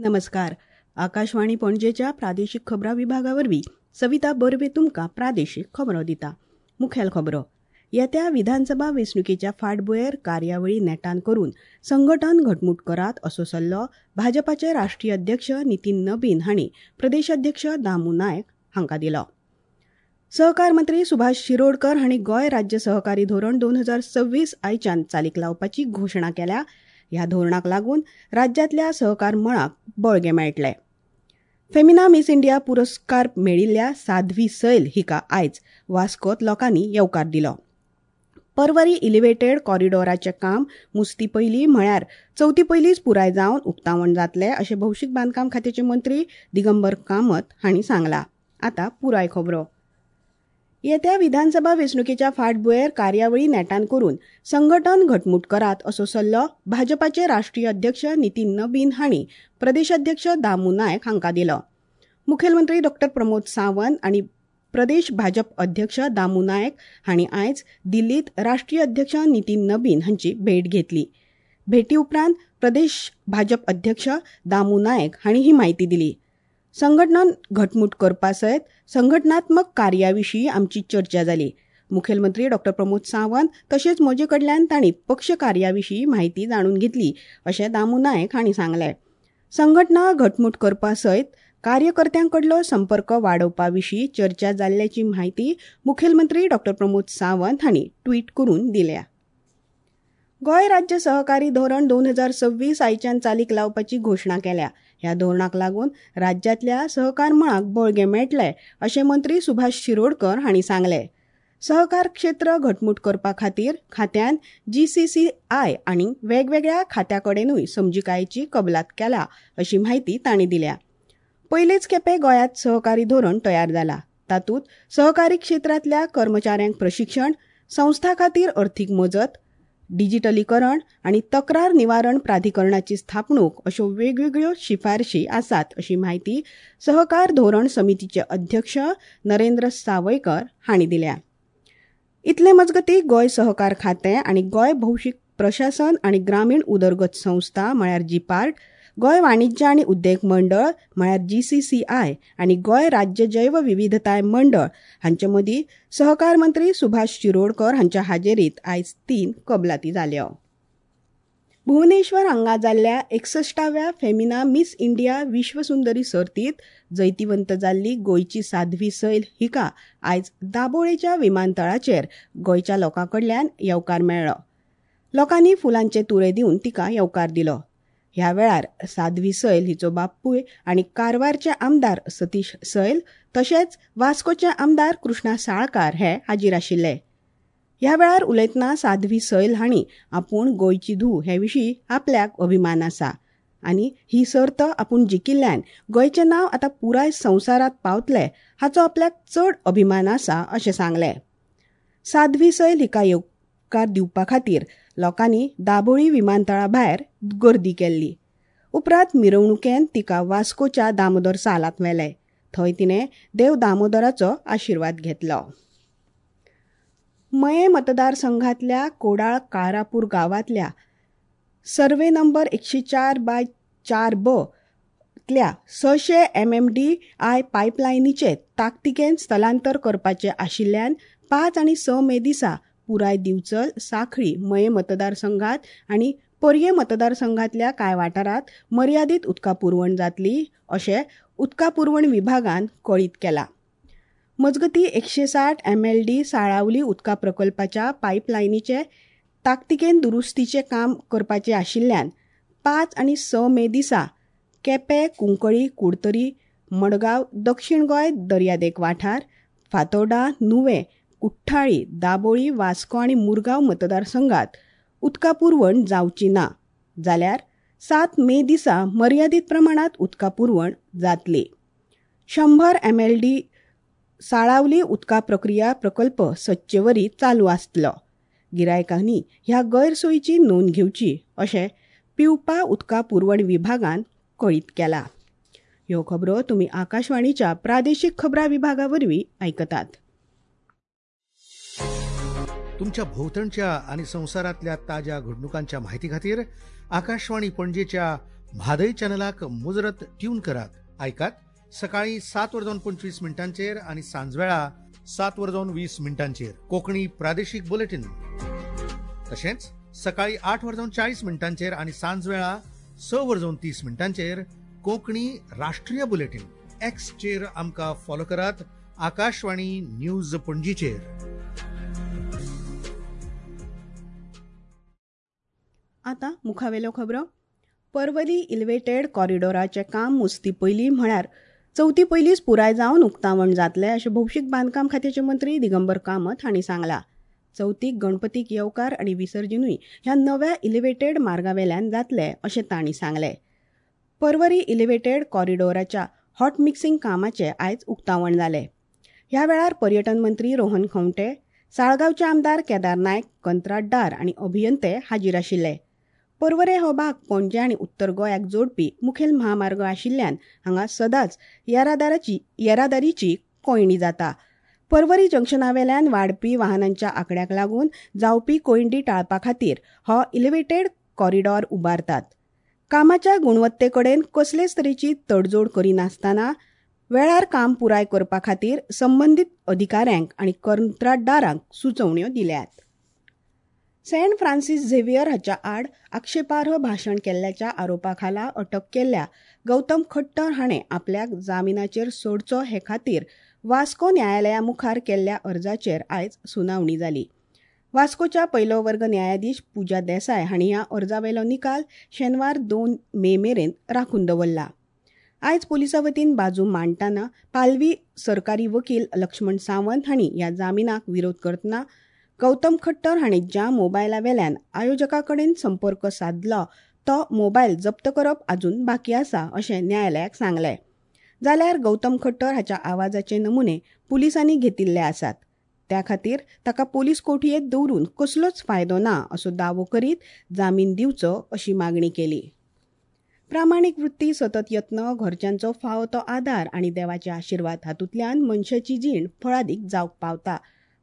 नमस्कार. आकाशवाणी पणजेच्या प्रादेशीक खबरां विभागा वरवीं सविता बर्वे तुमकां प्रादेशीक खबरो दिता. मुखेल खबरो. येत्या विधानसभा वेंचणुकेच्या फाटभुंयेर कार्यावळी नेटान करून संघटन घटमूट करात असो सल्लो भाजपाचे राष्ट्रीय अध्यक्ष नितीन नबीन हांणी प्रदेश अध्यक्ष दामू नायक हांकां दिलो. सहकार मंत्री सुभाष शिरोडकर हांणी गोंय राज्य सहकारी धोरण 2026 आयच्यान चालीक लावपाची घोशणा केल्या. ह्या धोरणाक लागून राज्यांतल्या सहकार मळाक बळगें मेळटलें. फेमिना मिस इंडिया पुरस्कार मेळिल्ल्या साध्वी सैल हिका आयज वास्कोत लोकांनी येवकार दिलो. परवरी इलिव्हेटेड कॉरिडॉराचें काम मुस्ती पयलीं म्हळ्यार चवथी पयलींच पुराय जावन उक्तावण जातलें अशें भौशीक बांदकाम खात्याचे मंत्री दिगंबर कामत हांणी सांगलां. आतां पुराय खबरो. येत्या विधानसभा वेंचणुकेच्या फाटभुंयेर कार्यावळी नेटान करून संघटन घटमूट करात असो सल्लो भाजपाचे राष्ट्रीय अध्यक्ष नितीन नबीन हांणी प्रदेशाध्यक्ष दामू नायक हांकां दिलो. मुखेलमंत्री डॉ प्रमोद सावंत आनी प्रदेश भाजप अध्यक्ष दामू नायक हांणी आयज दिल्लीत राष्ट्रीय अध्यक्ष नितीन नबीन हांची भेट घेतली. भेटी उपरांत प्रदेश भाजप अध्यक्ष दामू नायक हांणी ही म्हायती दिली. संघटन घटमूट करपा सयत संघटनात्मक कार्या विशीं आमची चर्चा जाली. मुखेलमंत्री डॉ प्रमोद सावंत तशेंच म्हजे कडल्यान तांणी पक्ष कार्या विशीं म्हायती जाणून घेतली अशें दामू नायक हांणी सांगलें. संघटना घटमूट करपा सयत कार्यकर्त्यां कडलो संपर्क वाडोवपा विशीं चर्चा जाल्ल्याची म्हायती मुखेलमंत्री डॉ प्रमोद सावंत हांणी ट्वीट करून दिल्या. गोंय राज्य सहकारी धोरण 2026 आयच्यान चालीक लावपाची घोशणा केल्या. ह्या धोरणाक लागून राज्यांतल्या सहकार मळाक बळगें मेळटलें अशें मंत्री सुभाष शिरोडकर हांणी सांगलें. सहकार क्षेत्र घटमूट करपा खातीर खात्यान GCCI आनी वेगवेगळ्या खात्या कडेनूय समजिकायेची कबलात केल्या अशी म्हायती तांणी दिल्या. पयलेच खेपे गोंयांत सहकारी धोरण तयार जाला. तातूंत सहकारी क्षेत्रांतल्या कर्मचाऱ्यांक प्रशिक्षण, संस्था खातीर अर्थीक मजत, डिजिटलीकरण आनी तक्रार निवारण प्राधिकरणाची स्थापणूक अश्यो वेगवेगळ्यो शिफारशी आसात अशी म्हायती सहकार धोरण समितीचे अध्यक्ष नरेंद्र सावयकर हांणी दिल्या. इतले मजगतीं गोंय सहकार खातें आनी गोंय भौशीक प्रशासन आनी ग्रामीण उदरगत संस्था म्हळ्यार जीपार्ट, गोंय वाणिज्य आनी उद्देग मंडळ म्हळ्यार GCCI आनी गोंय राज्य जैव विविधताय मंडळ हांचे मदीं सहकार मंत्री सुभाष शिरोडकर हांच्या हाजेरीत आयज 3 कबलाती जाल्यो. भुवनेश्वर हांगा जाल्ल्या 61व्या फेमिना मिस इंडिया विश्वसुंदरी सर्तींत जैतिवंत जाल्ली गोंयची साध्वी सैल हिका आयज दाबोळेच्या विमानतळाचेर गोंयच्या लोकां कडल्यान येवकार मेळ्ळो. लोकांनी फुलांचे तुरे दिवन तिका येवकार दिलो. ह्या वेळार साध्वी सैल हिचो बापूय आनी कारवारचे आमदार सतीश सैल तशेंच वास्कोचे आमदार कृष्णा साळकार हे हाजीर आशिल्ले. ह्या वेळार उलयतना साध्वी सैल हांणी आपूण गोंयची धूव हे विशीं आपल्याक अभिमान आसा आनी ही सर्त आपूण जिखिल्ल्यान गोंयचें नांव आतां पुराय संवसारांत पावतलें हाचो आपल्याक चड अभिमान आसा अशें सांगलें. साध्वी सैल हिका येवकार दिवपा खातीर लोकांनी दाबोळी विमानतळा भायर गर्दी केल्ली. उपरांत मिरवणुकेन तिका वास्कोच्या दामोदर सालांत व्हेलें. थंय तिणें देव दामोदराचो आशिर्वाद घेतलो. मये मतदारसंघातल्या कोडाळ काळापूर गांवांतल्या सर्वे नंबर 104/4B तल्या 600 MMDI पायपलायनीचे ताकतिकेन स्थलांतर करपाचें आशिल्ल्यान 5 आनी 6 मे दिसा पुराय दिवचल, साखळी, मये मतदारसंघात आनी पर्ये मतदारसंघातल्या कांय वाठारांत मर्यादीत उदका पुरवण जातली अशें उदका पुरवण विभागान कळीत केलां. मजगतीं 160 MLD Salaulim उदका प्रकल्पाच्या पायपलायनीचे ताकतिकेन दुरुस्तीचें काम करपाचें आशिल्ल्यान 5 आनी 6 मे दिसा केपें, कुंकळी, कुडतरी, मडगांव, दक्षिण गोंय दर्यादेग वाठार, फातोर्डा, नुवें, कुठ्ठाळी, दाबोळी, वास्को आनी मुरगांव मतदारसंघात उदका पुरवण जावची ना जाल्यार 7 मे दिसा मर्यादीत प्रमाणांत उदका पुरवण जातली. 100 MLD Salaulim उदका प्रक्रिया प्रकल्प सदचेवरी चालू आसतलो. गिरायकांनी ह्या गैरसोयीची नोंद घेवची अशें पिवपा उदका पुरवण विभागान कळीत केला. ह्यो खबरो तुमी आकाशवाणीच्या प्रादेशीक खबरां विभागा वरवीं आयकतात. तुमच्या भोवतणच्या आणि संवसारातल्या ताज्या घडणुकांच्या माहिती खातीर आकाशवाणी पणजेच्या म्हादय चॅनलाक मुजरत ट्यून करात. आयकात सकाळी 7:25 आनी सांजवेळा 7:20 कोंकणी प्रादेशीक बुलेटीन. तशेंच सकाळी 8:40 आनी सांजवेळा 6:30 कोंकणी राष्ट्रीय बुलेटीन. एक्सचेर आमकां फॉलो करात आकाशवाणी न्यूज पणजीचेर. आतां मुखावेल्यो खबरो. पर्वरी इलिव्हेटेड कॉरिडॉराचें काम मुजती पयलीं म्हळ्यार चवथी पयलींच पुराय जावन उक्तावण जातलें अशें भौशीक बांदकाम खात्याचे मंत्री दिगंबर कामत हांणी सांगलां. चवथीक गणपतीक येवकार आनी विसर्जनूय ह्या नव्या इलिव्हेटेड मार्गावेल्यान जातलें अशें तांणी सांगलें. पर्वरी इलिव्हेटेड कॉरिडॉराच्या हॉट मिक्सिंग कामाचें आयज उक्तावण जालें. ह्या वेळार पर्यटन मंत्री रोहन खंवटे, साळगांवचे आमदार केदार नायक, कंत्राटदार आनी अभियंते हाजीर आशिल्ले. पर्वरे हो भाग पणजे आनी उत्तर गोंयाक जोडपी मुखेल म्हामार्ग आशिल्ल्यान हांगा सदांच येरादारीची कोंयडी जाता. पर्वरी जंक्शनावेल्यान वाडपी वाहनांच्या आंकड्याक लागून जावपी कोंयडी टाळपा खातीर हो इलिव्हेटेड कॉरिडॉर उबारतात. कामाच्या गुणवत्ते कडेन कसलेच तरेची तडजोड करिनासतना वेळार काम पुराय करपा खातीर संबंदीत अधिकाऱ्यांक आनी कंत्राटदारांक सुचोवण्यो दिल्यात. सेंट फ्रांसीस झेवियर हाच्या आड आक्षेपार्ह भाशण केल्ल्याच्या आरोपा खाला अटक केल्ल्या गौतम खट्टर हाणें आपल्याक जामिनाचेर सोडचो हे खातीर वास्को न्यायालया मुखार केल्ल्या अर्जाचेर आयज सुनावणी जाली. वास्कोच्या पयलो वर्ग न्यायाधीश पूजा देसाय हांणी ह्या अर्जावेलो निकाल शेनवार 2 मे मेरेन राखून दवरला. आयज पुलिसां वतीन बाजू मांडटना पालवी सरकारी वकील लक्ष्मण सावंत हांणी ह्या जामिनाक विरोध करतना गौतम खट्टर हांणी ज्या मोबायला वेल्यान आयोजका कडेन संपर्क सादलो तो मोबायल जप्त करप अजून बाकी आसा अशें न्यायालयाक सांगलें. जाल्यार गौतम खट्टर हाच्या आवाजाचे नमुने पुलिसांनी घेतिल्ले आसात, त्या खातीर ताका पोलीस कोठयेंत दवरून कसलोच फायदो ना असो दावो करीत जामीन दिवचो अशी मागणी केली. प्रामाणीक वृत्ती, सतत यत्न, घरच्यांचो फावो तो आदार आनी देवाचे आशिर्वाद हातूंतल्यान मनशाची जीण फळादीक जावंक पावता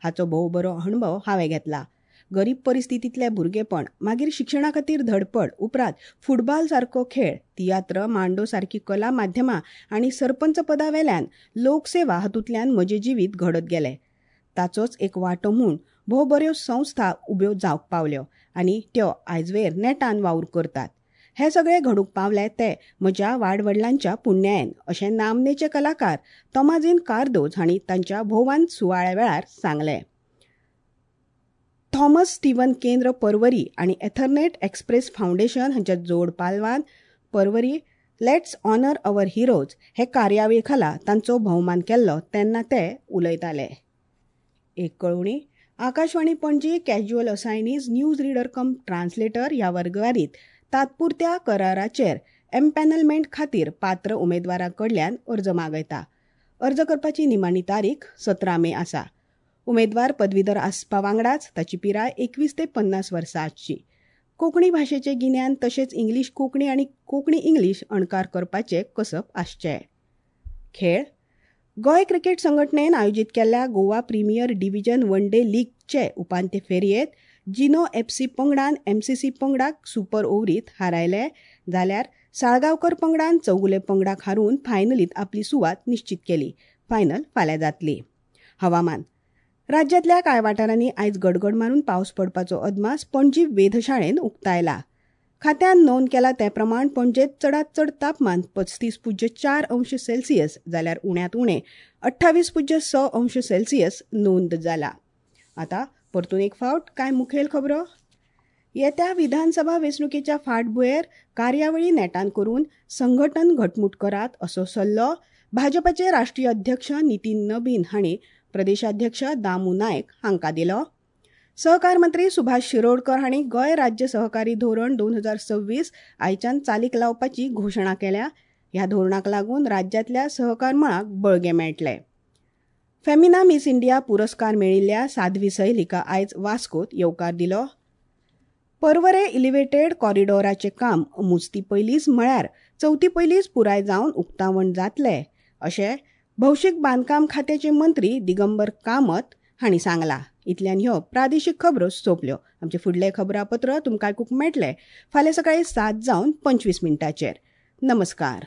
हाचो भोव बरो अणभव हांवें घेतला. गरीब परिस्थितींतलें भुरगेपण, मागीर शिक्षणा खातीर धडपड, उपरांत फुटबॉल सारको खेळ, तियात्र, मांडो सारकी कला माध्यमां आनी सरपंच पदा वेल्यान लोकसेवा हातूंतल्यान म्हजें जिवीत घडत गेलें. ताचोच एक वांटो म्हूण भोव बऱ्यो संस्था उब्यो जावंक पावल्यो आनी त्यो आयजवेर नेटान वावर करतात. हें सगळें घडूंक पावलें तें म्हज्या वाडवडिलांच्या पुण्यायेन अशें नामनेचे कलाकार तोमाझीन कार्दोज हांणी तांच्या भोवान सुवाळ्या वेळार सांगलें. थॉमस स्टीवन केंद्र पर्वरी आनी एथरनेट एक्सप्रेस फावंडेशन हांच्या जोड पालवान Porvorim let's honour our heroes हे कार्यावळी खाला तांचो भोवमान केल्लो तेन्ना ते उलयताले. एक कळोवणी. Akashvani Panaji casual assignees news reader cum translator ह्या वर्गवारीत तात्पुरत्या कराराचेर एम्पॅनलमेंट खातीर पात्र उमेदवारां कडल्यान अर्ज मागयता. अर्ज करपाची निमाणी तारीख 17 मे आसा. उमेदवार पदवीधर आसपा वांगडाच ताची पिराय 21 ते 50 वर्सां आसची. कोंकणी भाशेचें गिन्यान तशेंच इंग्लीश कोंकणी आनी कोंकणी इंग्लीश अणकार करपाचें कसब आसचें. खेळ. गोंय क्रिकेट संघटनेन आयोजीत केल्ल्या Goa premier division one day लीगचे उपांत्य फेरयेंत जिनो एफसी पंगडान एमसीसी पंगडाक सुपर ओव्हरीत हारायले, जाल्यार साळगांवकर पंगडान चौगुले पंगडाक हारून फायनलीत आपली सुवात निश्चित केली. फायनल फाल्यां जातली. हवामान. राज्यांतल्या कांय वाठारांनी आयज गडगड मारून पावस पडपाचो अदमास पणजी वेधशाळेन उक्तायला. खात्यान नोंद केला ते प्रमाण पणजेत चडांत चड तापमान 35.4 अंश सेल्सियस जाल्यार उण्यांत उणें 28.6 अंश सेल्सियस नोंद जाला. आतां परतून एक फावट कांय मुखेल खबरो. येत्या विधानसभा वेंचणुकेच्या फाटभुंयेर कार्यावळी नेटान करून संघटन घटमूट करात असो सल्लो भाजपाचे राष्ट्रीय अध्यक्ष नितीन नबीन हांणी प्रदेशाध्यक्ष दामू नायक हांकां दिलो. सहकार मंत्री सुभाष शिरोडकर हांणी गोंय राज्य सहकारी धोरण 2026 आयच्यान चालीक लावपाची घोशणा केल्या. ह्या धोरणाक लागून राज्यांतल्या सहकार मळाक बळगें मेळटलें. फेमिना मिस इंडिया पुरस्कार मेळिल्ल्या साध्वी सैल हिका आयज वास्कोत येवकार दिलो. पर्वरे इलिव्हेटेड कॉरिडॉराचें काम मुजती पयलींच म्हळ्यार चवथी पयलींच पुराय जावन उक्तावण जातलें अशें भौशीक बांदकाम खात्याचे मंत्री दिगंबर कामत हांणी सांगलां. इतल्यान ह्यो प्रादेशीक खबरो सोंपल्यो. आमचें फुडलें खबरापत्र तुमकां आयकूंक मेळटलें फाल्यां सकाळीं 7:25. नमस्कार.